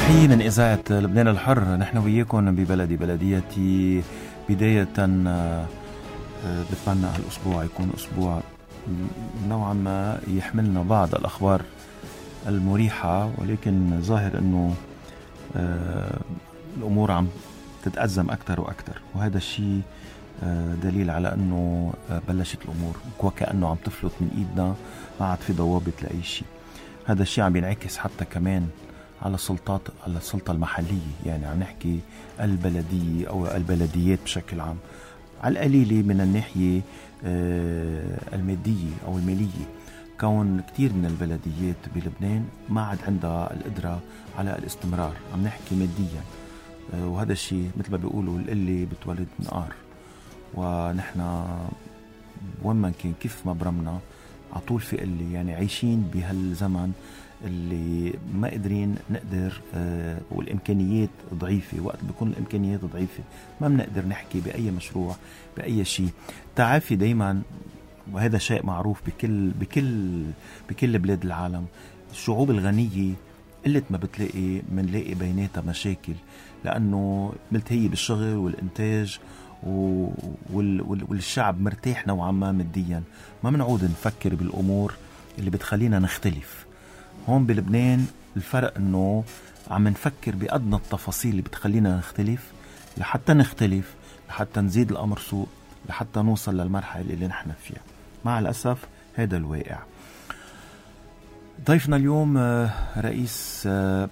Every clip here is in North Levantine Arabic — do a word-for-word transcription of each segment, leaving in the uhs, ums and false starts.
تحية من إذاعة لبنان الحر. نحن وياكم ببلدي بلديتي. بداية بتمنى هالأسبوع يكون أسبوع نوعا ما يحملنا بعض الأخبار المريحة، ولكن ظاهر أنه الأمور عم تتأزم أكتر وأكتر، وهذا الشيء دليل على أنه بلشت الأمور وكأنه عم تفلت من إيدنا، ما عاد في ضوابط لأي شيء. هذا الشيء عم بينعكس حتى كمان على السلطات، على السلطة المحلية، يعني عم نحكي البلدية أو البلديات بشكل عام، على القليلة من الناحية المادية أو المالية، كون كتير من البلديات بلبنان ما عاد عندها القدرة على الاستمرار. عم نحكي ماديا، وهذا الشيء مثل ما بيقولوا القلة بتولد نقار، ونحن وين ما كان كيف ما برمنا عطول في قلة. يعني عايشين بهالزمن اللي ما قدرين نقدر آه والإمكانيات ضعيفة. وقت بيكون الإمكانيات ضعيفة ما بنقدر نحكي بأي مشروع بأي شيء. تعافي دايما، وهذا شيء معروف بكل بكل بكل بلاد العالم. الشعوب الغنية قلت ما بتلاقي منلاقي بيناتها مشاكل، لأنه ملتهية بالشغل والإنتاج والشعب مرتاح نوعا ما ماديا. ما منعود نفكر بالأمور اللي بتخلينا نختلف. هون بلبنان الفرق انه عم نفكر بأدنى التفاصيل اللي بتخلينا نختلف، لحتى نختلف، لحتى نزيد الأمر سوء، لحتى نوصل للمرحلة اللي نحن فيها. مع الأسف هذا الواقع. ضيفنا اليوم رئيس،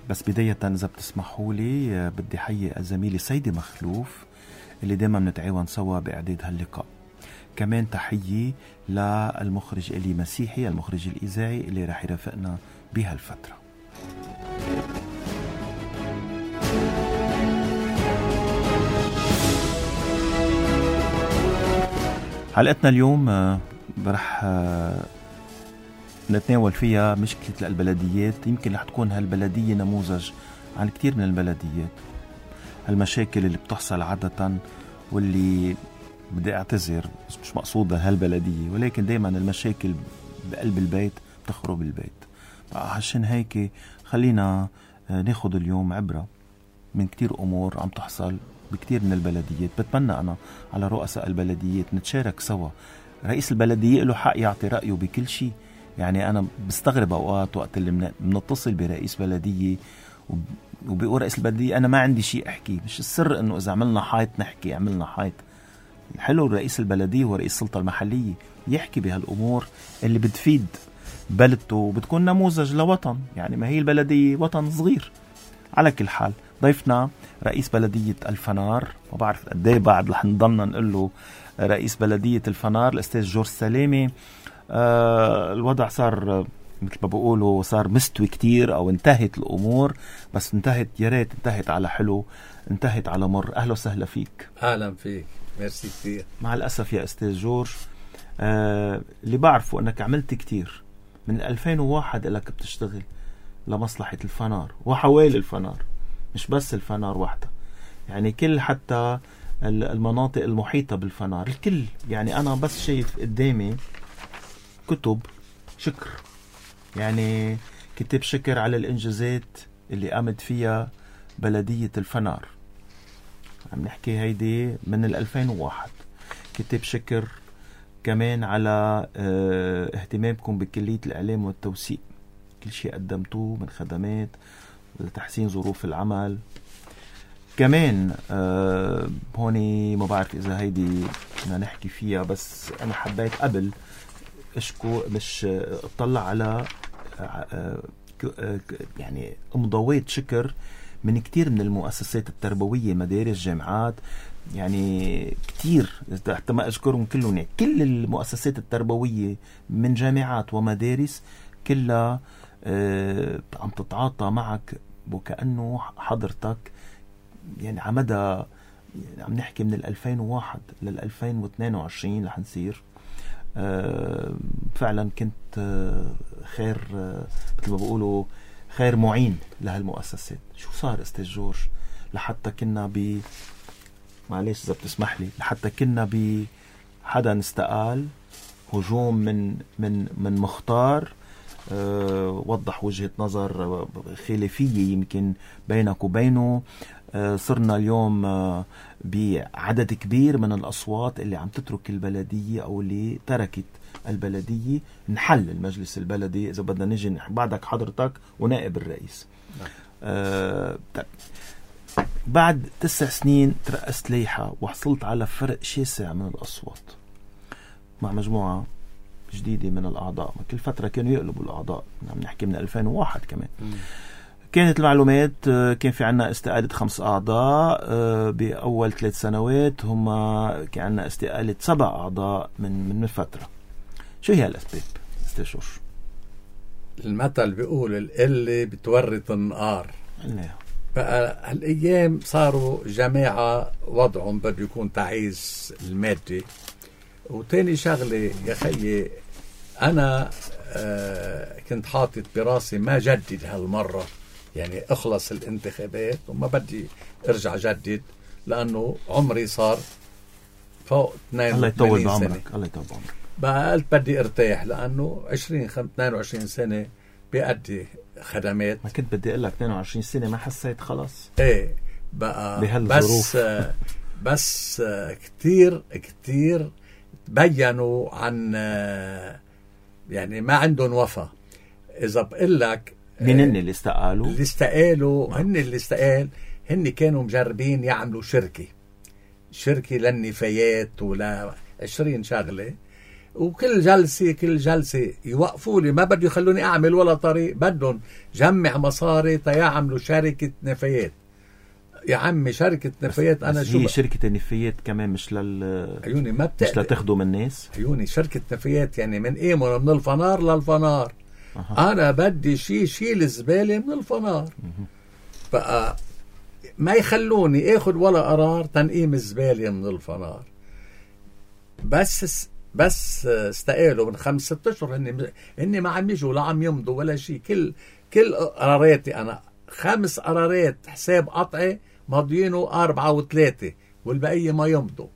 بس بداية إذا بتسمحوا لي بدي حيي الزميلة سيدة مخلوف اللي دايما نتعاون سوا بإعداد هاللقاء. كمان تحيي للمخرج إلي مسيحي، المخرج الإذاعي اللي راح يرافقنا بهالفترة. حلقتنا اليوم رح نتناول فيها مشكلة البلديات. يمكن رح تكون هالبلدية نموذج عن كتير من البلديات. هالمشاكل اللي بتحصل عادة، واللي بدي اعتذر مش مقصودة هالبلدية، ولكن دايما المشاكل بقلب البيت بتخرب البيت. عشان هيك خلينا ناخد اليوم عبرة من كتير أمور عم تحصل بكتير من البلديات. بتمنى أنا على رؤساء البلديات نتشارك سوا. رئيس البلدية له حق يعطي رأيه بكل شيء. يعني أنا بستغرب أوقات وقت اللي بنتصل برئيس بلدية وبيقول رئيس البلدية أنا ما عندي شيء أحكي. مش السر إنه إذا عملنا حيط نحكي، عملنا حيط. الحلو رئيس البلدية ورئيس السلطة المحلية يحكي بهالأمور اللي بتفيد بلدته وبتكون نموذج لوطن. يعني ما هي البلدية وطن صغير. على كل حال ضيفنا رئيس بلدية الفنار، وبعرف قديه بعد رح نضلنا نقول له رئيس بلدية الفنار، الأستاذ جورج سلامة. آه الوضع صار مثل ما بقولوا صار مستوي كتير، أو انتهت الأمور، بس انتهت يا ريت انتهت على حلو، انتهت على مر. أهلا وسهلا فيك. أهلا فيك، ميرسي كتير. مع الأسف يا أستاذ جورج، آه اللي بعرفه أنك عملت كتير. من ألفين وواحد لك بتشتغل لمصلحة الفنار وحوالي الفنار، مش بس الفنار وحده، يعني كل حتى المناطق المحيطة بالفنار الكل. يعني أنا بس شايف قدامي كتب شكر، يعني كتاب شكر على الإنجازات اللي قامت فيها بلدية الفنار. عم نحكي هيدي من الألفين وواحد. كتاب شكر كمان على اه اهتمامكم بكلية الإعلام والتوثيق، كل شيء قدمتوه من خدمات لتحسين ظروف العمل. كمان اه هوني ما بعرف إذا هيدي بدنا نحكي فيها، بس أنا حبيت قبل اشكو مش اطلع على اه يعني مضويات شكر من كتير من المؤسسات التربوية، مدارس، جامعات، يعني كتير حتى ما أذكرهم كلهم. يعني كل المؤسسات التربوية من جامعات ومدارس كلها آه عم تتعاطى معك وكأنه حضرتك. يعني عمدى يعني عم نحكي من الألفين وواحد للألفين واثنين وعشرين رح نصير آه فعلا كنت آه خير آه مثل ما بقولوا خير معين لهالمؤسسات. شو صار أستاذ جورج لحتى كنا ب معليش إذا بتسمح لي لحتى كنا ب حدا استقال، هجوم من من من مختار، أه وضح وجهة نظر خلافية يمكن بينك وبينه. صرنا اليوم بعدد كبير من الأصوات اللي عم تترك البلدية أو اللي تركت البلدية. نحل المجلس البلدي إذا بدنا نجي بعدك حضرتك ونائب الرئيس. آه بعد تسع سنين ترأست ليحة وحصلت على فرق شاسع من الأصوات مع مجموعة جديدة من الأعضاء. كل فترة كانوا يقلبوا الأعضاء، عم نحكي من ألفين وواحد كمان. م. كانت المعلومات كان في عنا استقالة خمس أعضاء بأول ثلاث سنوات، هم كان عنا استقالة سبع أعضاء من من فترة. شو هي الأسباب استشور؟ المثل بيقول القلة بتورط النقار. الله. بقى هالأيام صاروا جماعة وضعهم بده يكون تعيس المادي. وتاني شغلة يا خيي، أنا آه كنت حاطط براسي ما جدد هالمرة، يعني اخلص الانتخابات وما بدي ارجع جدد لأنه عمري صار فوق اثنين وثمانين سنة. الله يطول بعمرك. بقى قلت بدي ارتاح لأنه عشرين اثنين وعشرين سنة بيأدي خدمات. ما كنت بدي اقول لك اثنين وعشرين سنة ما حسيت خلاص. ايه بقى بهالظروف. بس بس كتير كتير بيّنوا عن يعني ما عندهم وفا. إذا بقول لك مين هن اللي استقالوا؟ اللي استقالوا هن اللي استقال هن كانوا مجربين يعملوا شركة شركة للنفايات ولا عشرين شغلة، وكل جلسة كل جلسة يوقفوا لي، ما بدي يخلوني أعمل ولا طريق، بدهم جمع مصاري تيعملوا شركة نفايات. يا عمي شركة نفايات أنا شو هي شركة النفايات كمان مش لل عيوني ما مش لتخدم الناس. عيوني شركة نفايات يعني من إيه من الفنار للفنار. أه. أنا بدي شي شيل الزبالة من الفنار. أه. بقى ما يخلوني اخد ولا قرار تنقيم الزبالة من الفنار. بس بس استقالوا من خمس ست اشهر هني هني ما عم يجوا لا عم يمضوا ولا شيء. كل كل قراراتي انا خمس قرارات حساب قطعي ماضيينه أربعة وثلاثة والبقية ما يمضوا.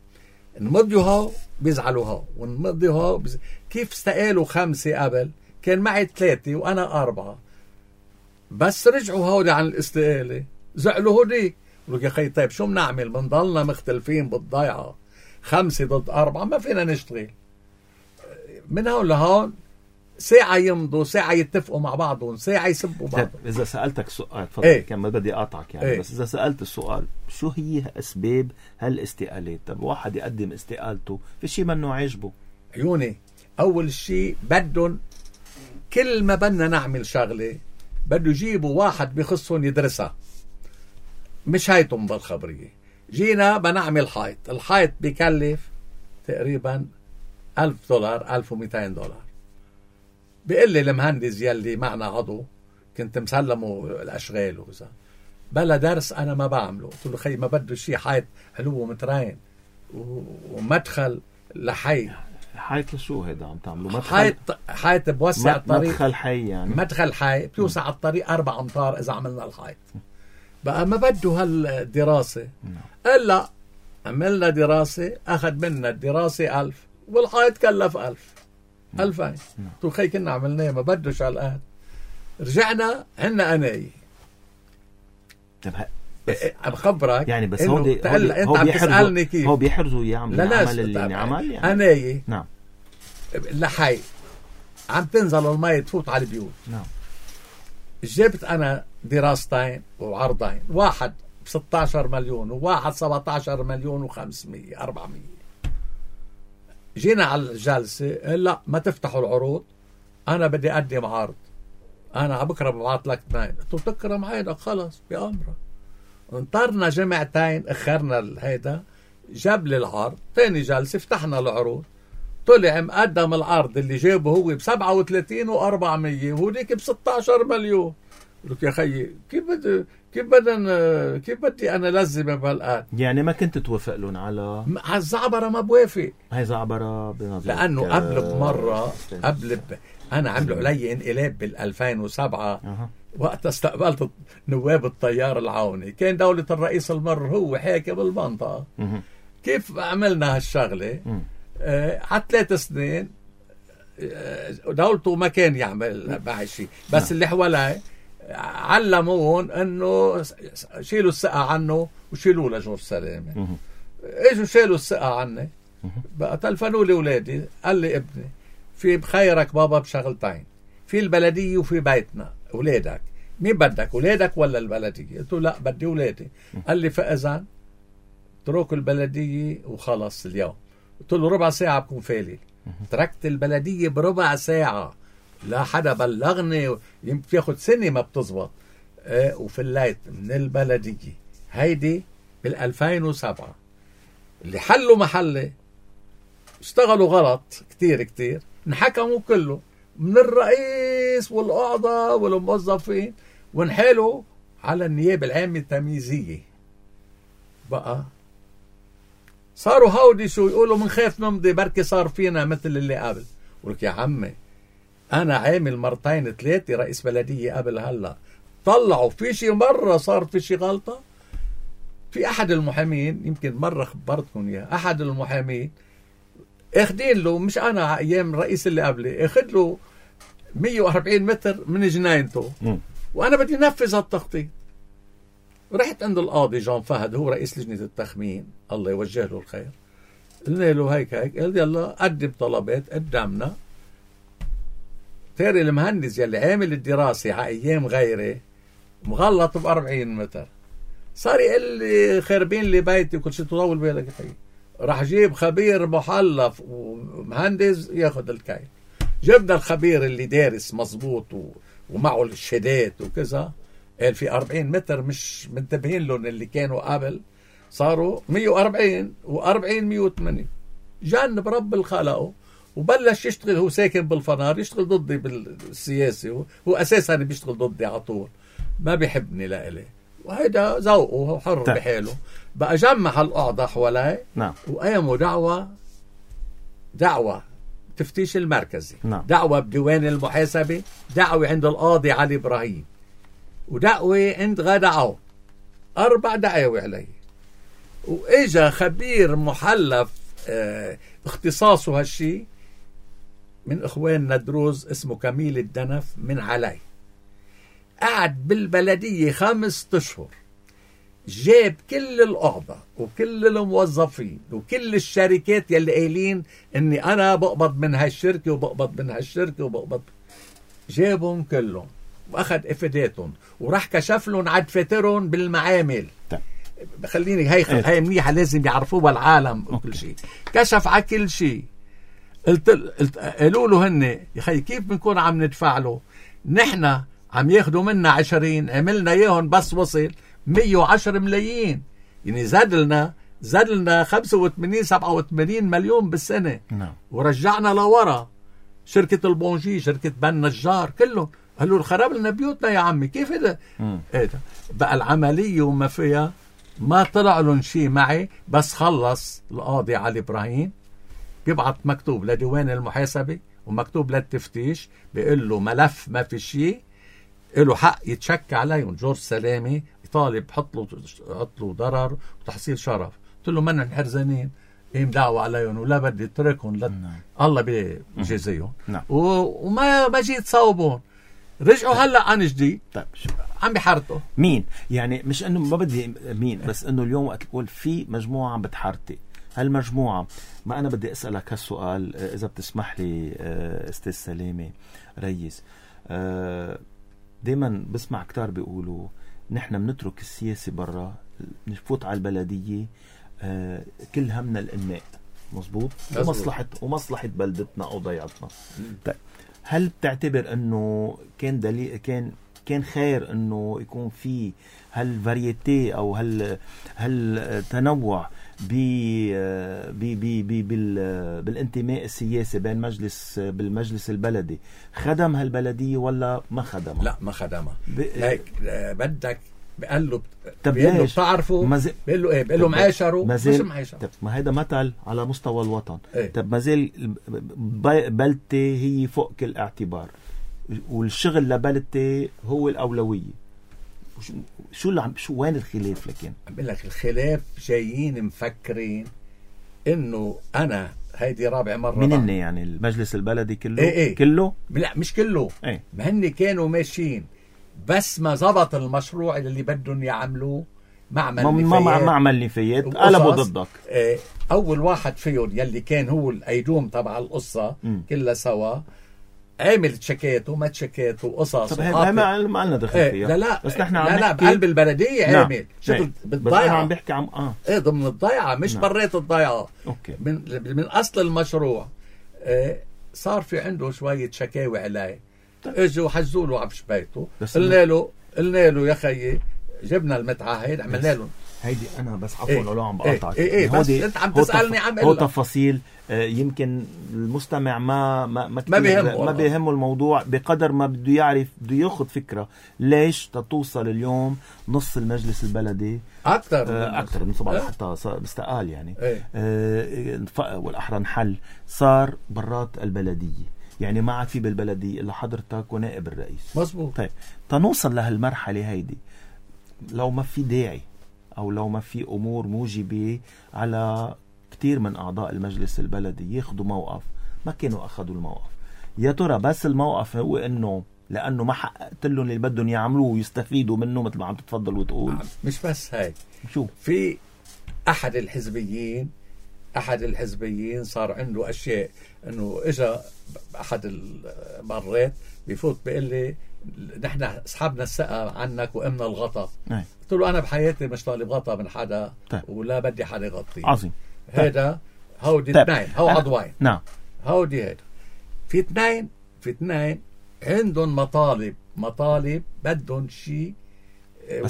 نمضيوا هاو بيزعلوا هاو ونمضيوا هاو بيز... كيف استقالوا خمسة قبل كان معي ثلاثة وأنا أربعة، بس رجعوا هودي عن الاستقالة زعلوا هودي. قلوا يا خي طيب شو بنعمل؟ بنضلنا مختلفين بالضيعة خمسة ضد أربعة ما فينا نشتغل. من هون لهون ساعة يمضوا ساعة يتفقوا مع بعضهم ساعة يسبوا بعض. إذا سألتك سؤال تفضل. ايه؟ كان ما بدي أقطعك يعني. ايه؟ بس إذا سألت السؤال شو هي أسباب هالاستقالات؟ طب واحد يقدم استقالته في شيء منه عاجبه. عيوني أول شيء بدهم كل ما بدنا نعمل شغلة بده يجيبوا واحد بخصهم يدرسها، مش هاي تمضى الخبرية. جينا بنعمل حائط، الحائط بيكلف تقريبا ألف دولار ألف ومئتين دولار. بيقول لي المهندس يلي معنا عضو كنت مسلمه الأشغال وكذا بلا درس أنا ما بعمله. قلت له خي ما بده شيء حائط علوه مترين ومدخل لحي. حائط لشو هيدا عم تعملوا؟ مدخل حائط حائط بوسع الطريق. مدخل حي يعني. مدخل حي بيوسع الطريق أربع أمتار إذا عملنا الحائط. بقى ما بده هالدراسة. إلا عملنا دراسة أخذ منا الدراسة ألف والحائط كلف ألف ألفين. قلت خي كنا عملناه ما بدوش على الآن. رجعنا عنا أناي بخبرك يعني. بس هو دي هو, دي هو بيحرزوا كيف هو بيحرزوا يعمل العمل اللي عمل يعني. أناي نعم لحي عم تنزل الماء تفوت على البيوت. نعم جبت أنا دراستين وعرضين، واحد بستة عشر مليون وواحد سبعة عشر مليون وخمسمية أربعمية. جينا على الجلسة لا ما تفتحوا العروض أنا بدي أقدم عرض أنا بكرة ببعث لك اثنين. قلت له تكرم عينك خلص بأمرك. انطرنا جمعتين اخرنا هيدا جاب لي العرض. تاني جلسة فتحنا العروض طلع مقدم العرض اللي جابه هو بسبعة وثلاثين وأربعمية وهوديك بستة عشر مليون. قلت يا خيي كيف بدي كيف بدنا كيف بدي انا لزم بهالقد يعني ما كنت توافق لهم على هالزعبرة؟ ما بوافق. هاي زعبرة بنظرك لانه قبل بمرة قبل ب... انا عملوا علي انقلاب بالألفين وسبعة. أه. وقت استقبلت نواب التيار العوني كان دولة الرئيس المر هو حاكم المنطقة. أه. كيف عملنا هالشغلة؟ آه على ثلاث سنين دولته ما كان يعمل معي شيء، بس نعم. اللي حواليه علمون انه شيلوا الثقة عنه وشيلوا لجورج سلامة. اجوا شيلوا الثقة عني، بقى تلفنوا لي ولادي، قال لي ابني في بخيرك بابا بشغلتين، في البلدية وفي بيتنا، ولادك مين بدك، ولادك ولا البلدية؟ قلت له لا بدي ولادي. قال لي فإذا اتركوا البلدية وخلص اليوم. قلت له ربع ساعة بكون فالي. تركت البلدية بربع ساعة، لا حدا بلغني، يمكن ياخد سنة ما بتزبط. اه وفليت من البلدية هيدي بالألفين وسبعة. اللي حلوا محلي اشتغلوا غلط كتير كتير، انحكموا كله من الرئيس والقعدة والموظفين، وانحالوا على النيابة العامة التمييزية. بقى صاروا هودي شو يقولوا منخاف نمضي بركي صار فينا مثل اللي قبل. ولك يا عمي أنا عامل مرتين ثلاثة رئيس بلدية قبل هلا، طلعوا في شي مرة صار في شي غلطة. في أحد المحامين يمكن مرة خبرتكم إياه، أحد المحامين اخدين له، مش أنا أيام الرئيس اللي قبلي، اخد له مية وأربعين متر من جناينته، وأنا بدي نفذ هالتخطيط. رحت عند القاضي جون فهد، هو رئيس لجنة التخمين، الله يوجه له الخير. قلنا له هيك هيك، قال يلا قدم طلبات قدامنا. تاري المهندس يلي عامل الدراسة على أيام غيري مغلط ب أربعين متر، صار يقول لي خربين لي بيتي وكل شيء. تطول بالك يا خيي، راح جيب خبير محلف ومهندس ياخذ الكيل. جبنا الخبير اللي دارس مزبوط ومعه الشهادات وكذا، قال في أربعين متر مش منتبهين لهم اللي كانوا قبل، صاروا مية وأربعين وأربعين مية وثمانين. جن برب الخلقه وبلش يشتغل. هو ساكن بالفنار، يشتغل ضدي بالسياسة، هو أساسا بيشتغل ضدي على طول، ما بيحبني لإلي، وهيدا ذوقه حر طيب. بحاله. بقى جمع القعدة حوالي، نعم. وقاموا دعوة دعوة تفتيش المركزي، نعم. دعوة بديوان المحاسبة، دعوة عند القاضي علي إبراهيم، ودعوة عند غادة عون. أربع دعاوي علي. وإجا خبير محلف اه اختصاصه هالشي من إخوان ندروز اسمه كميل الدنف من علي، قعد بالبلدية خمس أشهر، جاب كل القعدة وكل الموظفين وكل الشركات يلي قايلين اني انا بقبض من هالشركة وبقبض من هالشركة وبقبض، جابهم كلهم واخذ افاداتهم وراح كشف لهم عد فاترهم بالمعامل. خليني هي خ... هي منيحة لازم يعرفوها العالم وكل شيء. كشف على كل شيء. قلت قلت قالوا له هن يا خي كيف بنكون عم ندفع له؟ نحن عم ياخدوا منا عشرين، عملنا اياهم بس وصل مية وعشرة ملايين، يعني زاد لنا زاد لنا خمسة وثمانين سبعة وثمانين مليون بالسنة. نعم. ورجعنا لورا شركة البونجي، شركة بن نجار، كلهم قالوا خرب لنا بيوتنا يا عمي. كيف هذا؟ ايه ده بقى العملية وما فيها. ما طلع لهم شيء معي، بس خلص القاضي علي إبراهيم بيبعت مكتوب لديوان المحاسبة ومكتوب للتفتيش، بيقول له ملف ما في شيء، له حق يتشك عليهم. جورج سلامة يطالب حط له حط له ضرر وتحصيل شرف. قلت له منن حرزانين، قيم دعوة عليهم ولا بدي اتركهم لد... الله بيجازيهم. نعم. و... وما ما جيت صوبهم، رجعوا هلا عن جديد. طيب عم بحارتوا مين؟ يعني مش انه ما بدي مين، بس انه اليوم وقت تقول في مجموعة عم بتحارتي، هالمجموعة ما انا بدي اسألك هالسؤال اذا بتسمح لي استاذ سلامة ريس. دايما بسمع كتار بيقولوا نحن بنترك السياسة برا، نفوت على البلدية، كل همنا الانماء. مظبوط. ومصلحة ومصلحة بلدتنا او ضيعتنا. طيب هل بتعتبر انه كان دليل كان كان خير انه يكون في هالفاريتي او هال هالتنوع ب ب ب بالانتماء السياسي بين مجلس بالمجلس البلدي، خدم هالبلدية ولا ما خدمها؟ لا ما خدمها. هيك بدك بقول له طب بقول له بتعرفوا مزل... بقول له ايه بقول له معاشروا مش معاشروا. طب ما هيدا مثل على مستوى الوطن. ايه؟ طب ما زال بلدتي هي فوق كل اعتبار، والشغل لبلدتي هو الأولوية. شو اللي عم شو وين الخلاف؟ لكن عم بقول لك الخلاف جايين مفكرين انه انا هيدي رابع مرة. مين هن يعني المجلس البلدي كله؟ إيه إيه. كله؟ لا مش كله. ايه. ما هن كانوا ماشيين بس ما زبط المشروع اللي بدهم يعملوه معمل ما نفايات. ما معمل نفايات قلبوا ضدك. إيه. اول واحد فيهم يلي كان هو الايدوم تبع القصة م. كلها سوا عمل تشكاته ما تشكاته قصص. طب هي ما لنا دخل ايه. فيها. لا لا بس نحن عم لا لا بقلب البلدية نعم. عمل شغل بالضيعة. بس انا عم بحكي عم اه ايه ضمن الضيعة مش نعم. بريت الضيعة. اوكي. من من اصل المشروع. إيه. صار في عنده شوية شكاوي عليه. طيب. اجوا حجزوا له عفش بيته قلنا له قلنا له يا خيي جبنا المتعهد عملنا له هيدي انا بس عفوا إيه لو عم بقاطعك. ايه ايه بس انت عم تسالني عم هو تفاصيل آه يمكن المستمع ما ما ما, ما بيهمه ما بيهمه الموضوع بقدر ما بده يعرف بده ياخذ فكره ليش تتوصل اليوم نص المجلس البلدي اكثر آه اكثر من صباح حتى استقال يعني إيه؟ آه والاحرى انحل صار برات البلديه يعني ما عاد في بالبلديه الا حضرتك ونائب الرئيس. مزبوط. طيب تنوصل لهالمرحله هيدي لو ما في داعي أو لو ما في أمور موجبة على كتير من أعضاء المجلس البلدي ياخدوا موقف ما كانوا أخذوا الموقف. يا ترى بس الموقف هو إنه لأنه ما حققت لهم اللي بدهم يعملوه ويستفيدوا منه مثل ما عم تتفضل وتقول؟ مش بس هاي. شو في أحد الحزبيين أحد الحزبيين صار عنده أشياء إنه إجا أحد المرات بيفوت بيقول لي نحن سحبنا الثقة عنك وقمنا الغطاء. نعم. قلت له أنا بحياتي مش طالب غطاء من حدا. طيب. ولا بدي حدا يغطي. عظيم. هذا هودي اثنين هو عضوين. نعم. هودي هيدا في اثنين في اثنين عندهم مطالب مطالب بدهم شيء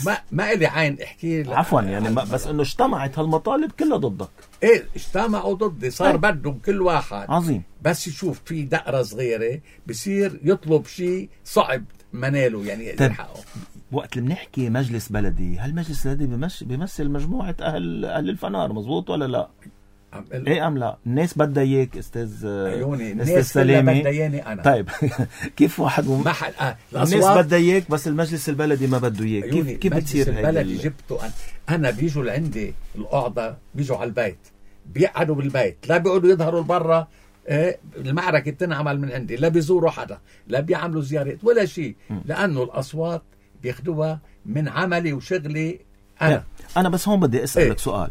ما ما إلي عين احكي عفوا يعني ما بس انه اجتمعت هالمطالب كلها ضدك. ايه اجتمعوا ضدي صار أي. بدهم كل واحد عظيم بس يشوف في دقرة صغيرة بصير يطلب شيء صعب مناله يعني يلحقه. وقت اللي بنحكي مجلس بلدي هالمجلس البلدي بيمثل بيمثل مجموعة أهل أهل الفنار مظبوط ولا لا؟ ال... ايه ام لا؟ الناس بدها اياك استاذ عيوني الناس كلها بدها اياني انا. طيب كيف واحد مم... ما حد آه. الناس بدها اياك بس المجلس البلدي ما بده اياك كيف كيف بتصير هيك؟ المجلس البلدي جبته انا انا بيجوا لعندي القعده بيجوا على البيت بيقعدوا بالبيت لا بيقعدوا يظهروا لبرا. إيه المعركه بتنعمل من عندي لا بيزوروا حدا لا بيعملوا زيارات ولا شيء لانه الاصوات بياخدوها من عملي وشغلي انا. انا بس هون بدي اسالك ايه؟ سؤال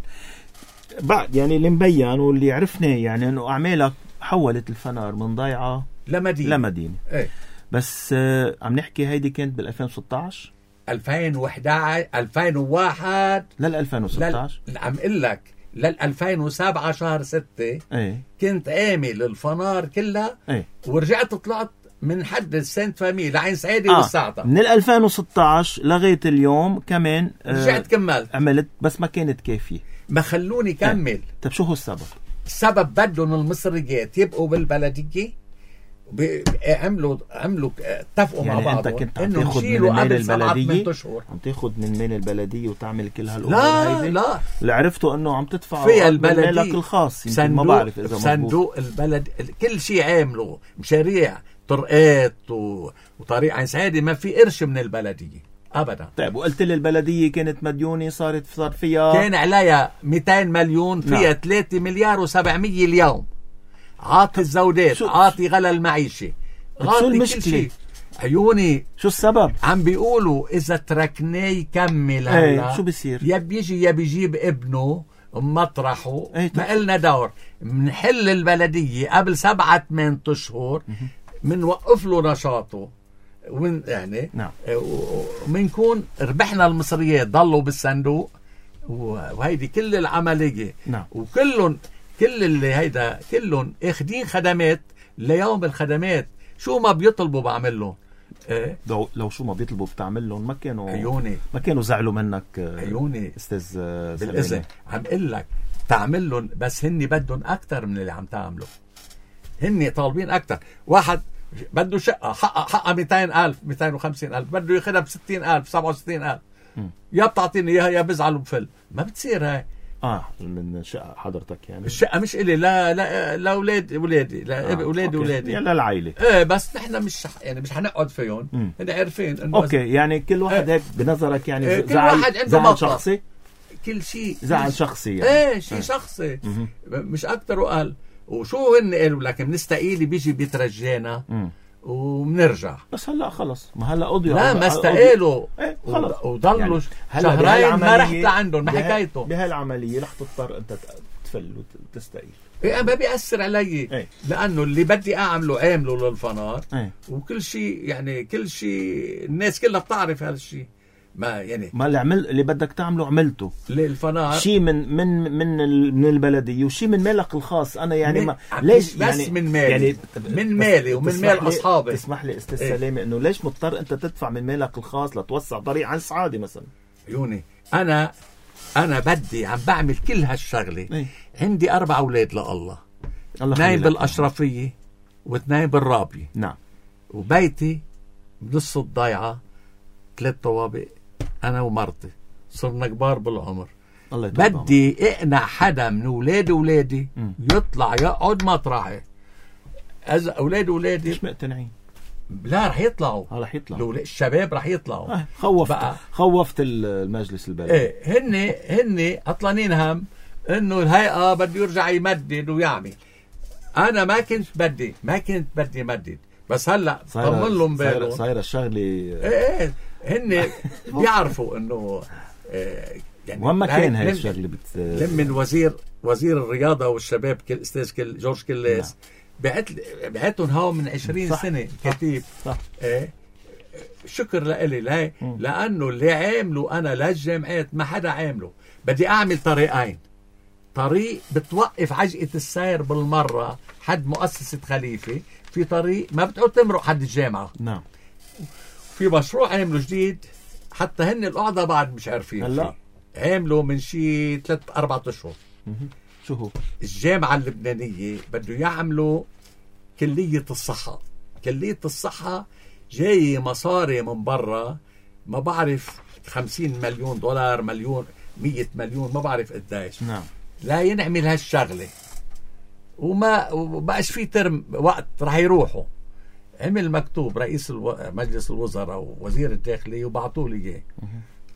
بعد يعني اللي مبين واللي عرفناه يعني انه اعمالك حولت الفنار من ضيعه لمدينه لمدينه ايه. بس آه عم نحكي هيدي كانت بال ألفين وستة عشر ألفين وإحدى عشر ألفين وواحد لل ألفين وستة عشر لل... عم اقول لك لل ألفين وسبعة شهر ستة ايه. كنت عامل الفنار كلها ايه. ورجعت طلعت من حد السنت فامي لعين سعيدي آه. والساعة من ألفين وستة عشر لغاية اليوم كمان آه رجعت كملت عملت بس ما كانت كافية ما خلوني كمل. ايه. طب شو هو السبب؟ السبب بدهم المصريات يبقوا بالبلدية عملوا عملوا اتفقوا يعني مع بعضهم انت كنت عم تاخذ من المال البلديه عم تاخذ من المال البلديه وتعمل كل هالامور لا هيدي لا اللي عرفته انه عم تدفع في البلديه مالك الخاص يمكن ما بعرف اذا مضبوط صندوق البلد كل شيء عامله مشاريع طرقات و... وطريق عين سعيدي ما في قرش من البلديه ابدا. طيب وقلت لي البلديه كانت مديونه صارت صار فيها كان عليها مئتين مليون فيها نعم. ثلاثة مليار وسبعمية اليوم عاطي الزودات عاطي غلا المعيشة غاطي كل شيء. عيوني شو السبب؟ عم بيقولوا اذا تركناه يكمل هلا ايه شو بيصير؟ يا بيجي يا بيجيب ابنه مطرحه ايه ما قلنا دور منحل البلدية قبل سبعة ثمان اشهر منوقف له نشاطه ومن يعني نعم. ومنكون ربحنا المصريات ضلوا بالصندوق وهيدي كل العملية نعم. وكلهم كل اللي هيدا كلهم اخدين خدمات ليوم الخدمات شو ما بيطلبوا بعمل لهم. إيه؟ لو لو شو ما بيطلبوا بتعمل لهم ما كانوا عيوني ما كانوا زعلوا منك عيوني استاذ بالاذن عم اقول لك تعمل لهم بس هني بدهم اكثر من اللي عم تعمله. هني طالبين اكثر. واحد بده شقه حقها حقها مئتين ألف مئتين وخمسين ألف بده ياخذها ب ستين ألف سبعة وستين ألف يا بتعطيني اياها يا بزعل وبفل ما بتصير هاي. اه من شقه حضرتك يعني الشقه مش الي لا لا لاولاد اولادي لا آه. اولادي اولادي يعني للعائله ايه بس نحن مش يعني مش حنقعد فيهم هن عارفين انه اوكي يعني كل واحد ايه. هيك بنظرك يعني ايه. كل زعل واحد عنده زعل شخصي كل شيء زعل شخصي يعني ايه شيء ايه. شخصي مش اكثر وقال وشو هن قالوا لك بنستقيل بيجي بيترجانا مم. وبنرجع. بس هلا خلص، ما هلا قضيوا لا على- ما على- استقالوا ايه خلص وضلوا يعني هلا شهرين ما رحت بهالعملية- لعندهم ما بها- حكايته. بهالعملية رح تضطر انت تفل وتستقيل. إيه ما بيأثر علي ايه. لأنه اللي بدي أعمله عامله للفنار. ايه. وكل شيء يعني كل شيء الناس كلها بتعرف هالشيء. ما يعني ما اللي عمل اللي بدك تعمله عملته، للفنار شيء من من من ال- من البلديه وشيء من مالك الخاص. انا يعني من- ما عم ليش بس يعني من مالي. يعني من بس مالي ومن تسمح مال لي- أصحابي. تسمح لي استاذ إيه. سلامه انه ليش مضطر انت تدفع من مالك الخاص لتوسع طريق عن سعادي مثلا؟ عيوني أنا أنا بدي عم بعمل كل هالشغلة. إيه. عندي أربع أولاد لله، الله اثنين يخلي لك. بالأشرفية واثنين بالرابية، نعم. وبيتي بنص الضيعة ثلاث طوابق أنا ومرتي صرنا كبار بالعمر. الله يطول بعمرك. بدي اقنع حدا من اولاد اولادي مم. يطلع يقعد مطرحي. اذا اولاد اولادي مش مقتنعين. لا رح يطلعوا. اه رح يطلع. الأولاد- الشباب رح يطلعوا. آه خوفت بقى. خوفت المجلس البلدي. ايه هن هن عطلانين هم انه الهيئه بده يرجع يمدد ويعمل. انا ما كنت بدي ما كنت بدي مدد، بس هلا طمن لهم صايره بالهم. صايره الشغله. ايه ايه هن بيعرفوا انه إيه يعني وين ما كان هاي من- الشغله بت من وزير وزير الرياضه والشباب كل استاذ كل جورج كلاس بعت بعتهم هاو من عشرين صح. سنه كتيب. صح. ايه شكر لإلي لهي مم. لانه اللي عامله انا للجامعات ما حدا عامله. بدي اعمل طريقين، طريق بتوقف عجقه السير بالمره حد مؤسسه خليفه، في طريق ما بتقعد تمرق حد الجامعه. نعم. في مشروع عامله جديد حتى هن القعده بعد مش عارفين هلا فيه. عامله من شي ثلاث اربع اشهر. مهم. شو هو؟ الجامعة اللبنانية بده يعملوا كلية الصحة. كلية الصحة جاي مصاري من برا ما بعرف خمسين مليون دولار مليون مية مليون ما بعرف قديش. نعم. لا ينعمل هالشغلة وما وبقاش في ترم وقت رح يروحوا. عمل مكتوب رئيس الو... مجلس الوزراء ووزير الداخلية وبعطوا لي اياه.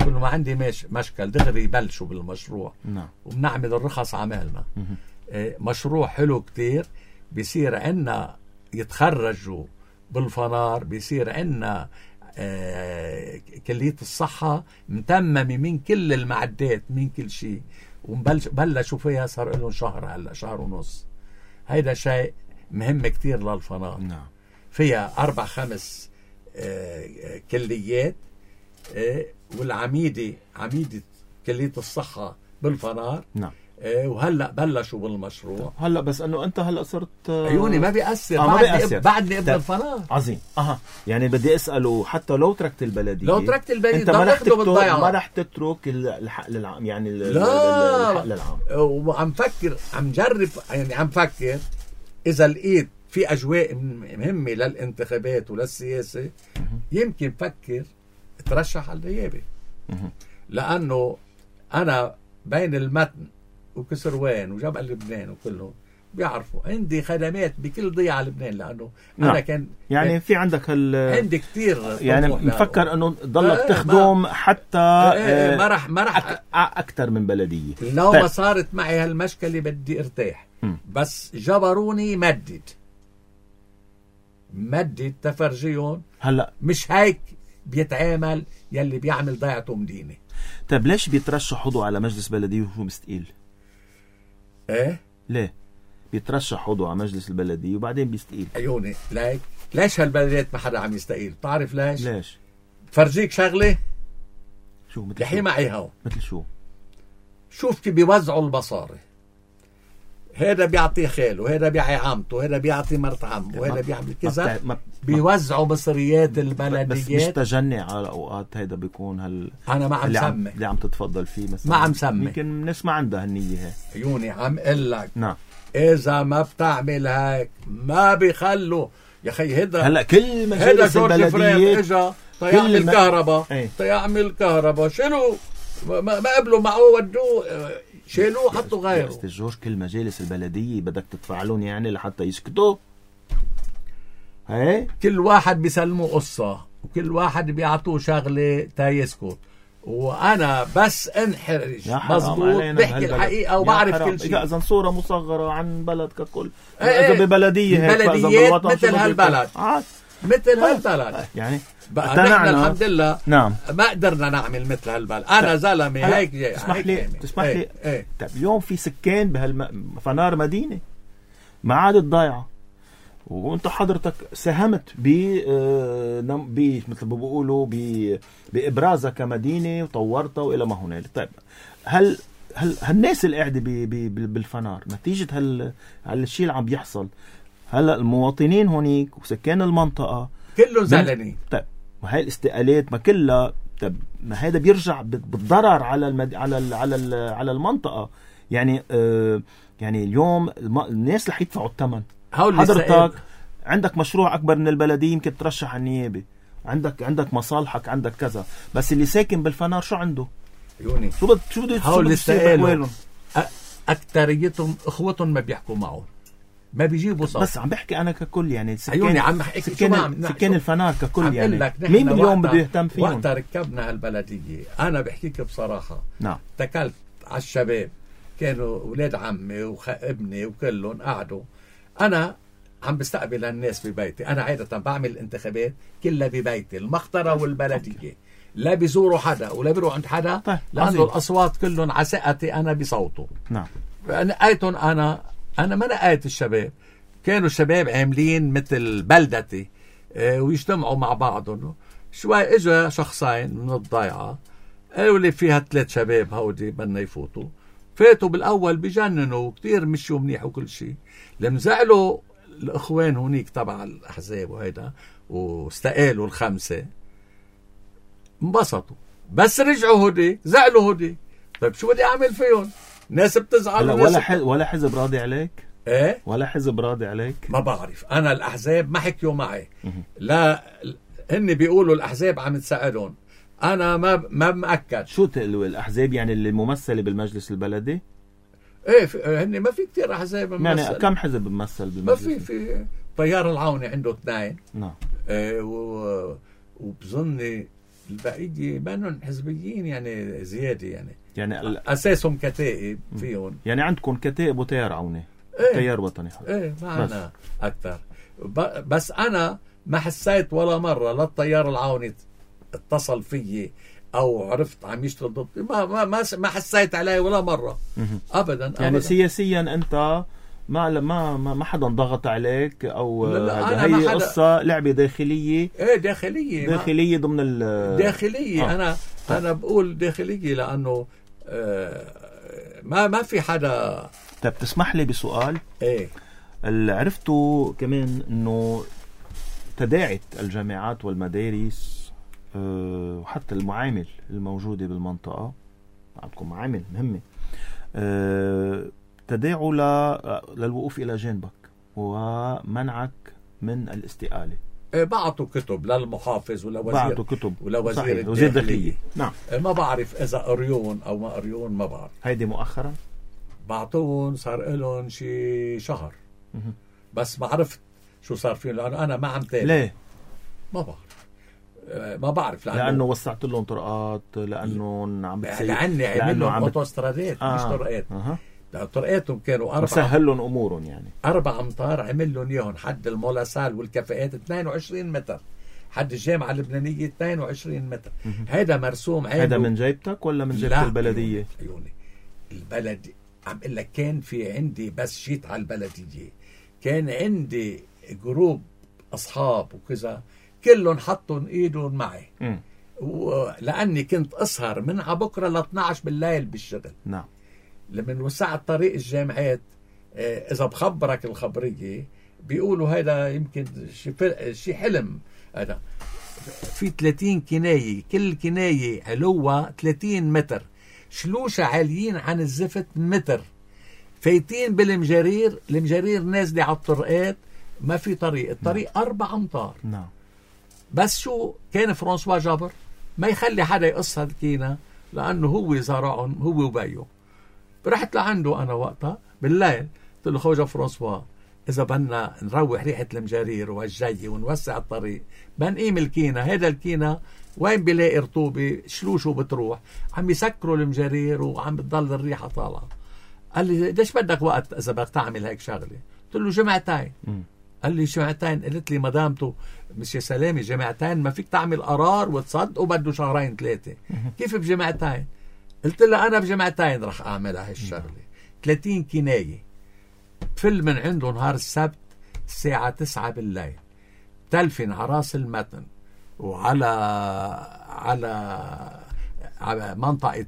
قلت له ما عندي مش... مشكل دغري يبلشوا بالمشروع. نعم. وبنعمل الرخص عملنا. مهم. آه، مشروع حلو كتير. بيصير عنا يتخرجوا بالفنار، بيصير عنا آه، كلية الصحة متممة من كل المعدات من كل شيء، وبلشوا فيها صار لهم شهر هلا شهر ونص. هيدا شيء مهم كتير للفنار. نعم. فيها أربع خمس آه، آه، كليات. آه، والعميدة عميدة كلية الصحة بالفنار. نعم. آه، وهلا بلشوا بالمشروع. هلا بس انه انت هلا صرت آه، عيوني ما بيأثر. آه، ما بعدني بيأثر. اب- بعدني ابن طيب. الفنار. عظيم. اها يعني بدي اساله حتى لو تركت البلديه، لو تركت البلد انت ما رح ضل اخده تترك بالضيعة. ما رح تترك الحق للعام يعني ال- لا. الحق للعام. وعم فكر عم جرب يعني عم فكر اذا لقيت في اجواء مهمه للانتخابات وللسياسه يمكن فكر اترشح على النيابه. مهم. لانه انا بين المتن وكسروان وجبل لبنان وكلهم بيعرفوا عندي خدمات بكل ضيعه لبنان. لانه نعم. انا كان يعني في عندك هال عندي كتير يعني طموح مفكر انه ضلك إيه، تخدم حتى إيه، إيه، آه، ما رح ما رح أك- اكثر من بلديه. لو طيب. ما صارت معي هالمشكلة بدي ارتاح. م. بس جبروني مدد مدد تفرجيهم. هلا مش هيك بيتعامل يلي بيعمل ضيعته مدينة. طيب ليش بيترشح عضو على مجلس بلديه وهو مستقيل؟ ايه ليه بيترشح عضو على مجلس البلديه وبعدين بيستقيل؟ عيوني ليك ليش هالبلدات ما حدا عم يستقيل؟ بتعرف ليش؟ ليش؟ فرجيك شغلة شو مثل لحي شو؟ معي هون. مثل شو؟ شوف كيف بيوزعوا المصاري. هذا بيعطي خاله، هذا بيعطي عمته، هذا بيعطي مرت عمه، وهذا بيعمل كذا. ما- ما- بيوزعوا مصريات بس مش البلديات. تجني على اوقات هيدا بيكون هال انا ما عم اللي عم سمي اللي عم تتفضل فيه مثلا ما عم سمي. يمكن الناس ما عندها هالنية هي. عيوني عم قل لك نعم. اذا ما بتعمل هيك ما بيخلوا يا اخي. هيدا هلا كل هيدا مجالس جورج فريد البلديه اجا كل تيعمل ما- كهرباء ايه. تيعمل كهرباء شنو ما, ما قبلوا معه ودوه آه، شالوه حطوا يا غيره. استاذ جورج كل مجالس البلديه بدك تدفع لهم يعني لحتى يسكتوا. هي كل واحد بيسلموا قصة وكل واحد بيعطوه شغلة تيسكت. وانا بس انحرج يا حرام مظبوط علينا بحكي بهالبلد. الحقيقه يا وبعرف حرام. كل شيء. اذا صوره مصغره عن بلد ككل، إيه اذا إيه. ببلديه هيك فإذا بلديات بالوطن مثل شو بده هالبلد. يكون؟ عاد. مثل هالبلد يعني بقى نحن الحمد لله نعم ما قدرنا نعمل مثل هالبلد. انا زلمه هيك جاي تسمح هيك لي يعني. تسمح ايه لي ايه. طيب اليوم في سكان بهالفنار مدينه ما عادت ضايعه، وانت حضرتك ساهمت ب ب مثل ما بيقولوا بابرازها كمدينه وطورتها والى ما هنالك. طيب هل هل هالناس اللي قاعده بالفنار نتيجه هال هالشيء اللي عم بيحصل، هلا المواطنين هونيك وسكان المنطقه كلهم زعلانين. طيب وهي الاستقالات ما كلها، طب ما هذا بيرجع بالضرر على المد... على ال... على ال... على المنطقه. يعني آه يعني اليوم الم... الناس رح يدفعوا الثمن. حضرتك عندك مشروع اكبر من البلديه يمكن ترشح على النيابه، عندك عندك مصالحك، عندك كذا، بس اللي ساكن بالفنار شو عنده؟ يوني شو بده شو بده هول استقالوا اكثريتهم اخوتهم ما بيحكوا معه، ما بيجيبوا صوت. بس عم بحكي انا ككل يعني سكان عيوني عم بحكي سكان, سكان الفنار ككل يعني مين اليوم بده يهتم فيهم؟ وقت ركبنا هالبلديه انا بحكيك بصراحه نعم اتكلت على الشباب، كانوا اولاد عمي وابني وكلهم قعدوا، انا عم بستقبل الناس ببيتي. انا عاده بعمل الانتخابات كلها ببيتي المخطره والبلديه، لا بيزوروا حدا ولا بيروحوا عند حدا. طيب. لانه عظيم. الاصوات كلهم على ثقتي انا بصوته. نعم نقيتهم انا انا ما نقيت الشباب، كانوا الشباب عاملين مثل بلدتي اه ويجتمعوا مع بعضهم. شوي اجا شخصين من الضيعه قالوا لي فيها ثلاث شباب هودي بدنا يفوتوا، فاتوا بالاول بجننوا كتير مشوا منيح وكل شيء. لما زعلوا الاخوان هونيك تبع الاحزاب وهيدا واستقالوا الخمسه انبسطوا، بس رجعوا هودي زعلوا هودي. طيب شو بدي اعمل فيهم؟ ناس بتزعل ولا حز... ولا حزب راضي عليك؟ ايه ولا حزب راضي عليك؟ ما بعرف انا الاحزاب ما حكيوا معي. لا هن بيقولوا الاحزاب عم تساعدهم، انا ما ما مأكد. شو تقولوا الاحزاب يعني اللي ممثله بالمجلس البلدي؟ ايه هن ما في كتير احزاب يعني كم حزب بمثل بالمجلس؟ ما في في طيار العوني عنده اثنين. نعم. ايه و... وبظني البقيه بانهم حزبيين يعني زياده يعني يعني ال... اساسهم كتائب فيهم. يعني عندكم كتائب وتيار عوني. ايه تيار وطني. ايه معنا اكثر. ب... بس انا ما حسيت ولا مره لا التيار العوني اتصل فيي او عرفت عم يشتغل ضدي، ما ما ما, ما حسيت عليه ولا مره. ابدا. يعني أبداً. سياسيا انت ما ما ما حدا ضغط عليك او لا لا هذا، أنا هي حدا... قصه لعبه داخليه. ايه داخليه داخليه ضمن ال داخليه. آه. انا طيب. انا بقول داخليه لانه آه ما ما في حدا. طيب تسمح لي بسؤال؟ ايه اللي عرفته كمان انه تداعت الجامعات والمدارس أه وحتى المعامل الموجوده بالمنطقه، عندكم معامل مهمه، أه تداعوا للوقوف الى جانبك ومنعك من الاستقاله. إيه بعتوا كتب للمحافظ ولوزير بعتوا كتب ولوزير وزير الداخليه. نعم. إيه ما بعرف اذا قريون او ما قريون، ما بعرف. هيدي مؤخرا بعتوهم صار لهم شي شهر م- بس ما عرفت شو صار فيهم لانه انا ما عم تابع. ليه؟ ما بعرف. ما بعرف لانه, لأنه وسعت لهم طرقات، لانه عم بتصير لاني عمل لهم اوتوسترادات آه. مش طرقات. أه. طرقاتهم كانوا أربعة، سهل لهم امورهم يعني أربع أمتار عمل لهم إياهم حد المولاسال والكفاءات اثنين وعشرين متر، حد الجامعة اللبنانية اثنين وعشرين متر. هذا مرسوم عينه. هذا من جيبتك ولا من جيبة البلدية؟ عيوني البلد عم اقول لك كان في عندي، بس جيت على البلدية كان عندي جروب أصحاب وكذا كلهم حطوا إيدهم معي. م. لأني كنت أسهر من عبكرة ل اثني عشر بالليل بالشغل. نعم. لما وسعت طريق الجامعات اذا بخبرك الخبريه بيقولوا هذا يمكن شيء حلم. هذا في ثلاثين كنايه، كل كنايه علوها ثلاثين متر، شلوشة عاليين عن الزفت متر، فايتين بالمجارير، المجارير نازله على الطرقات، ما في طريق، الطريق نعم. أربع أمتار. نعم. بس شو كان فرانسوا جابر ما يخلي حدا يقص هالكينا لانه هو زرعهم هو وبيه. رحت لعنده انا وقتها بالليل قلت له خوجة فرانسوا إذا بدنا نروح ريحة المجارير والجي ونوسع الطريق بنقيم الكينا. هذا الكينا وين بيلاقي رطوبة شلوشو بتروح، عم يسكروا المجارير وعم بتضل الريحة طالعة. قال لي ليش بدك وقت إذا بدك تعمل هيك شغلة؟ قلت له جمعتين. م. قال لي جمعتين. قلت لي مدامته مش يا سلامي جمعتين ما فيك تعمل قرار وتصدقوا بده شهرين ثلاثة. كيف بجمعتين؟ قلت له أنا بجمعتين رح أعملها هالشغلة. ثلاثين كناية فل من عنده نهار السبت الساعة تسعة بالليل، تلفن على راس المتن وعلى على على منطقة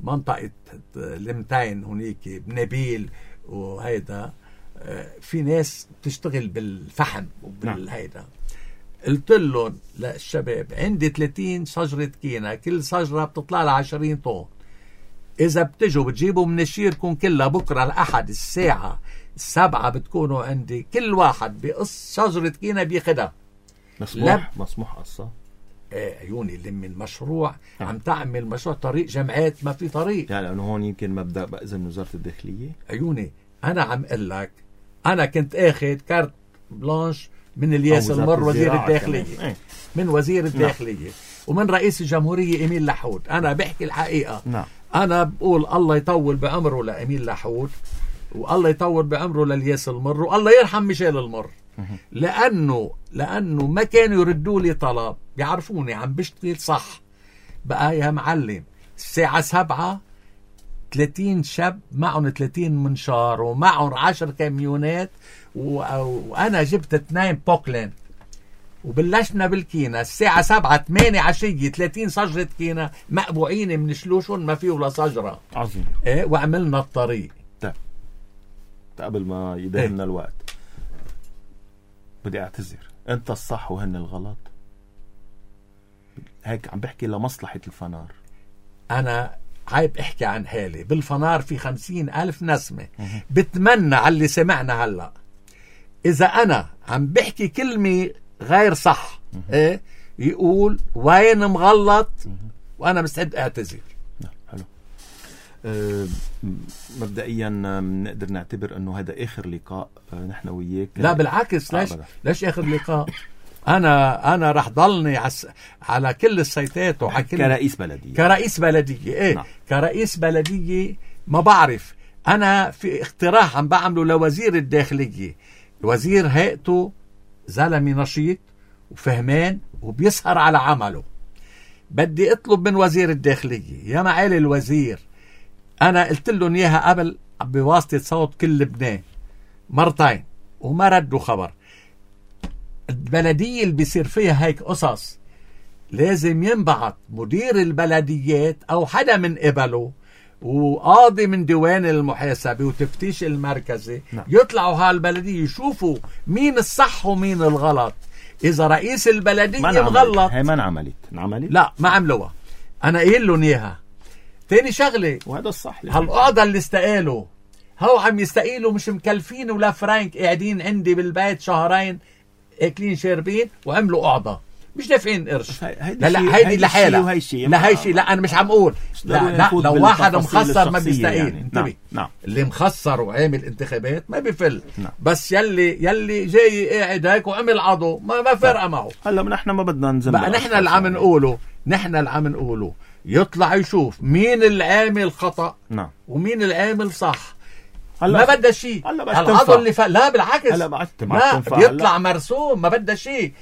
منطقة المتين هنيك بنبيل وهيدا في ناس بتشتغل بالفحم وبالهيدا. قلت لهم للشباب عندي ثلاثين شجرة كينا، كل شجرة بتطلع لها عشرين طن. إذا بتجوا بتجيبوا من الشيركم كلها بكرة الأحد الساعة السبعة بتكونوا عندي، كل واحد بقص شجرة كينا بياخدها. مسموح لب... مسموح قصة؟ ايه عيوني اللي من مشروع اه. عم تعمل مشروع طريق جمعات ما في طريق يعني لأنه هون يمكن مبدأ بأذن وزارة الداخلية. عيوني أنا عم قل لك أنا كنت أخذ كارت بلانش من الياس المر وزير الداخلية ايه. من وزير الداخلية نعم. ومن رئيس الجمهورية إيميل لحود. أنا بحكي الحقيقة نعم. أنا بقول الله يطول بعمره لإيميل لحود والله يطول بعمره للياس المر والله يرحم ميشيل المر، لأنه لأنه ما كانوا يردوا لي طلب، بيعرفوني عم بشتغل صح. بقى يا معلم الساعة سبعة ثلاثين شاب معهم ثلاثين منشار ومعهم عشر كاميونات و... وأنا جبت اثنين بوكلين وبلشنا بالكينا الساعة سبعة ثمانية عشية ثلاثين شجرة كينا مقبوعين من شلوشون ما فيه ولا شجرة. عظيم. ايه وعملنا الطريق. طيب قبل ما يدهمنا ايه؟ الوقت بدي اعتذر، انت الصح وهن الغلط. هيك عم بحكي لمصلحة الفنار. انا عيب احكي عن حالي. بالفنار في خمسين ألف نسمة. بتمنى على اللي سمعنا هلأ إذا أنا عم بحكي كلمة غير صح إيه يقول وين مغلط وأنا مستعد أعتذر. حلو. أه مبدئيا نقدر نعتبر أنه هذا آخر لقاء أه نحن وياك. لا بالعكس. ليش ليش آخر لقاء؟ أنا أنا رح ضلني عس... على كل السيتات وعلى كل كرئيس بلدية. كرئيس بلدية إيه نعم. كرئيس بلدية ما بعرف. أنا في اقتراح عم بعمله لوزير الداخلية. وزير هيئته زلمي نشيط وفهمان وبيسهر على عمله. بدي اطلب من وزير الداخلية يا معالي الوزير، أنا قلت لهم إياها قبل بواسطة صوت كل لبنان مرتين وما ردوا خبر. البلدية اللي بيصير فيها هيك قصص لازم ينبعث مدير البلديات أو حدا من قبله وقاضي من ديوان المحاسبة وتفتيش المركزي نعم. يطلعوا هالبلدية يشوفوا مين الصح ومين الغلط. إذا رئيس البلدية مغلط هي ما انعملت انعملت لا ما عملوها. أنا قايل لهم إياها. تاني شغلة وهذا الصح. هالقاضي اللي استقالوا هو عم يستقيلوا مش مكلفين ولا فرانك، قاعدين عندي بالبيت شهرين اكلين شاربين وعملوا قعدة مش دافعين قرش. لا لا هيدي لحالها لا هي شيء. لا انا مش عم اقول لا, لا لو واحد مخسر ما بيستقيل يعني. انتبه نعم. نعم. اللي مخسر وعامل انتخابات ما بيفل نعم. بس يلي يلي جاي قاعد هيك وعمل عضو ما ما فرقه معه. هلا نحن ما بدنا ننزل بقى نحن اللي عم نقوله نحن اللي عم نقوله يطلع يشوف مين العامل خطأ نعم. ومين العامل صح. ما بدها شيء العضو اللي ف... لا بالعكس ما بيطلع مرسوم ما بدها شيء.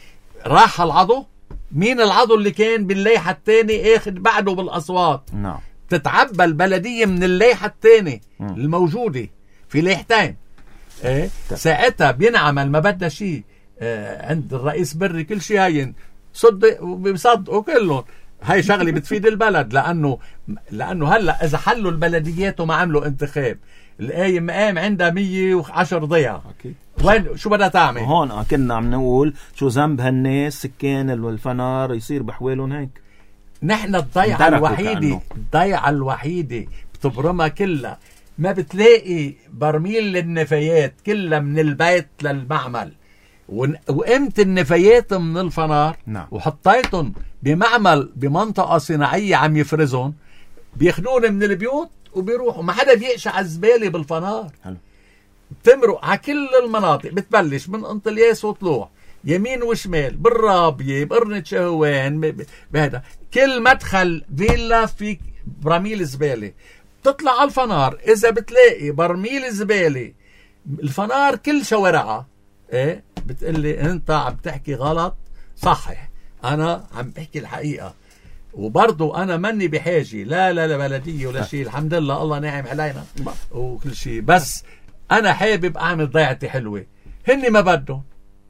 راح العضو مين العضو اللي كان بالليحة الثاني اخذ بعده بالاصوات نعم. تتعبى البلدية من الليحة الثاني الموجودة في ليحتين ايه ساعتها بينعمل ما بدها شيء. اه عند الرئيس بري كل شيء هين صدق وبيصدقوا كلهم. هاي شغلة بتفيد البلد لأنه لأنه هلأ إذا حلوا البلديات وما عملوا انتخاب الآية مقام عندها مية وعشر ضيعة وين شو بدها تعمل؟ هون كنا عم نقول شو ذنب هالناس سكان الفنار يصير بحوالهم هيك. نحن الضيعة الوحيدة الضيعة الوحيدة بتبرمها كلها ما بتلاقي برميل للنفايات كلها من البيت للمعمل وقمت النفايات من الفنار نعم. وحطيتهم بمعمل بمنطقة صناعية عم يفرزون بياخدون من البيوت وبيروحوا. ما حدا بيقشع الزبالة بالفنار. حلو. بتمرق على كل المناطق، بتبلش من انطلياس وطلوع يمين وشمال، بالرابية، بقرنة شهوان، بهذا كل مدخل فيلا في برميل زبالة. بتطلع على الفنار، إذا بتلاقي برميل زبالة الفنار كل شوارعها، إيه بتقلي أنت عم تحكي غلط. صحيح، أنا عم بحكي الحقيقة، وبرضو أنا مني بحاجة لا لا لا بلدية ولا شيء، الحمد لله الله ناعم علينا وكل شيء، بس أنا حابب أعمل ضيعتي حلوة. هني ما بدهم،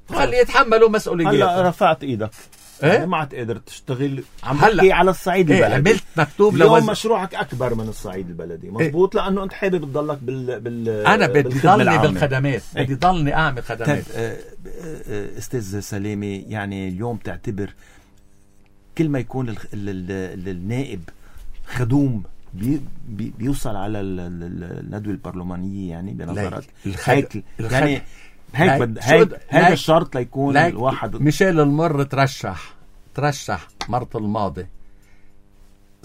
خلي يتحملوا مسؤولياتهم. هلا رفعت ايدك، إيه؟ يعني ما عاد تقدر تشتغل. عم هلا بحكي على الصعيد إيه البلدي. عملت مكتوب اليوم لوز... مشروعك اكبر من الصعيد البلدي، مزبوط؟ إيه؟ لانه انت حابب تضلك بال بال انا بدي ضلني بالخدمات، إيه؟ بدي ضلني اعمل خدمات. استاذ سلامي، يعني اليوم تعتبر كل ما يكون ال ال ال النائب خدوم بي بي بيوصل على الندوة البرلمانية، يعني بنظرك هيك يعني هيك بد... هيك هذا الشرط ليكون لايك الواحد. ميشيل المر ترشح ترشح مرة الماضي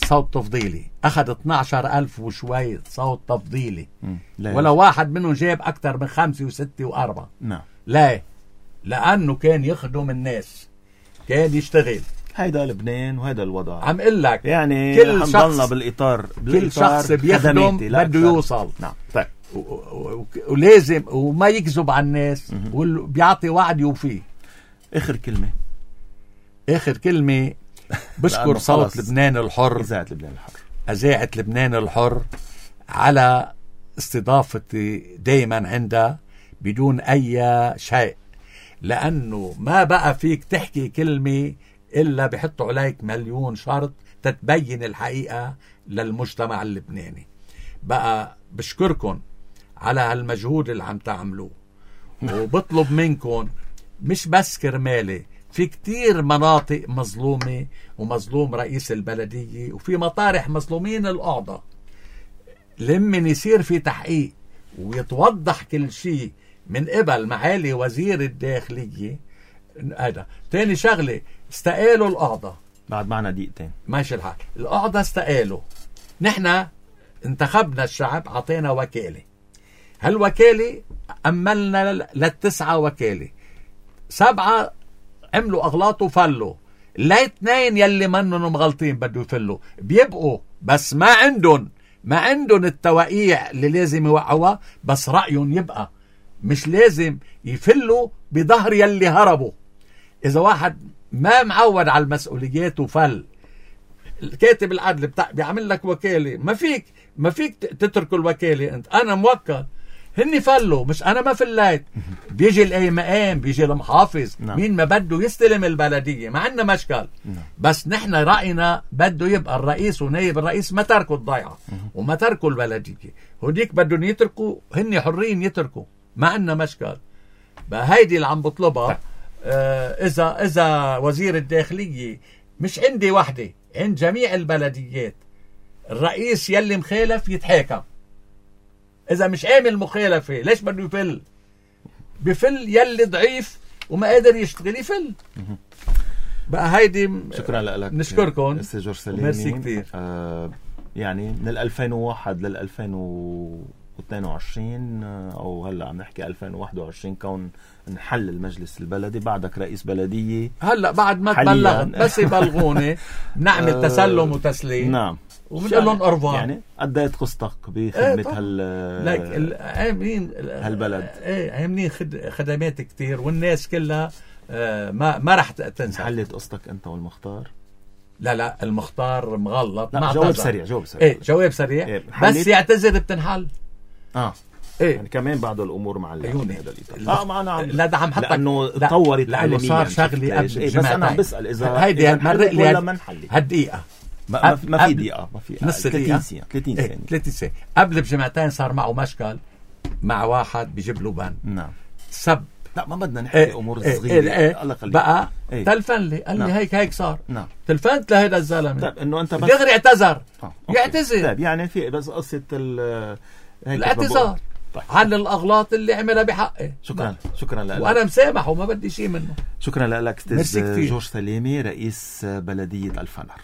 صوت تفضيلي، أخذ اثني عشر ألف وشوي صوت تفضيلي، ولا واحد منهم جاب أكثر من خمسة وستة وأربعة. نعم. لا، لأنه كان يخدم الناس، كان يشتغل. هيدا لبنان وهيدا الوضع. عم قل لك يعني كل شخص بالإطار كل شخص بيخدم بده يوصل. نعم. طيب. ولازم وما يكذب على الناس، وبيعطي وعد يوفيه. آخر كلمة آخر كلمة بشكر صوت لبنان الحر، إذاعة لبنان الحر، إذاعة لبنان الحر على استضافتي دايما عندها بدون أي شيء، لأنه ما بقى فيك تحكي كلمة إلا بحطوا عليك مليون شرط تتبين الحقيقة للمجتمع اللبناني. بقى بشكركم على هالمجهود اللي عم تعملوه، وبطلب منكم مش بس كرمالي، في كتير مناطق مظلومة ومظلوم رئيس البلدية، وفي مطارح مظلومين القعدة، لمن يصير في تحقيق ويتوضح كل شيء من قبل معالي وزير الداخلية. هذا تاني شغلة، استقالوا القعدة بعد معنا دقيقتين ماشي الحال. القعدة استقالوا، نحن انتخبنا الشعب، عطينا وكالة، هالوكالة أملنا للتسعة وكالة، سبعة عملوا أغلاط وفلوا، لا اثنين يلي منهم مغلطين بده يفلوا بيبقوا، بس ما عندهم ما عندهم التوقيع اللي لازم يوقعوها، بس رأيهم يبقى، مش لازم يفلوا بظهر يلي هربوا. إذا واحد ما معود على المسؤوليات وفل، الكاتب العدل بتاع بيعمل لك وكالة، ما فيك ما فيك تترك الوكالة أنت، أنا موكل، هني فلوا مش أنا ما فليت. بيجي الأي مقام، بيجي المحافظ، نعم. مين ما بده يستلم البلدية، ما عندنا مشكل، نعم. بس نحن رأينا بده يبقى الرئيس ونائب الرئيس ما تركوا الضيعة وما تركوا البلدية، هوديك بدهم يتركوا، هني حرين يتركوا، ما عندنا مشكل. بقى هيدي اللي عم بطلبها. آه إذا إذا وزير الداخلية مش عندي وحدة، عند جميع البلديات، الرئيس يلي مخالف يتحاكم، إذا مش عامل مخالفة ليش بده يفل؟ بفل يلي ضعيف وما قادر يشتغل يفل. بقى هيدي شكرا لك، نشكركم أستاذ جورج سلامي. ميرسي كتير. آه يعني من ألفين وواحد لل ألفين واثنين وعشرين او هلا عم نحكي ألفين وواحد وعشرين، كون نحل المجلس البلدي، بعدك رئيس بلدية هلا بعد ما تبلغت بس يبلغوني نعمل تسلم وتسليم. نعم، وبنقول لهم أربعة. يعني قديت قصتك بخدمة ايه هال لك عاملين هالبلد، ايه عاملين خد... خدمات كتير، والناس كلها آه ما ما رح تنسى. حلت قصتك انت والمختار؟ لا لا المختار مغلط. لا جواب سريع، جواب سريع. ايه جواب سريع. إيه بس يعتذر بتنحل. اه ايه يعني كمان بعض الامور مع عيوني هذا الاطار. اه معنا عم لا ده عم حطك لانه تطورت لانه صار شغلي قبل إيه، بس انا عم بسال اذا هيدي مرق لي ولا ما نحل هالدقيقه. ما, ما في دقيقه، ما في نص دقيقه، ثلاثين ثانيه، ثلاثين ثانيه. قبل بجمعتين صار معه مشكل مع واحد بيجيب له بن. نعم. سب. لا ما بدنا نحكي ايه امور ايه صغيره. ايه الله يخليك. بقى ايه تلفن لي قال لي نعم. هيك هيك صار. نعم. تلفنت لهذا الزلمه. طيب انه انت بس دغري اعتذر. آه. يعتذر. طيب يعني في بس قصه ال الاعتذار طيب. عن الاغلاط اللي عملها بحقي. شكرا شكرا لك، وانا مسامح وما بدي شيء منه. شكرا لك استاذ جورج سلامي، رئيس بلديه الفنار.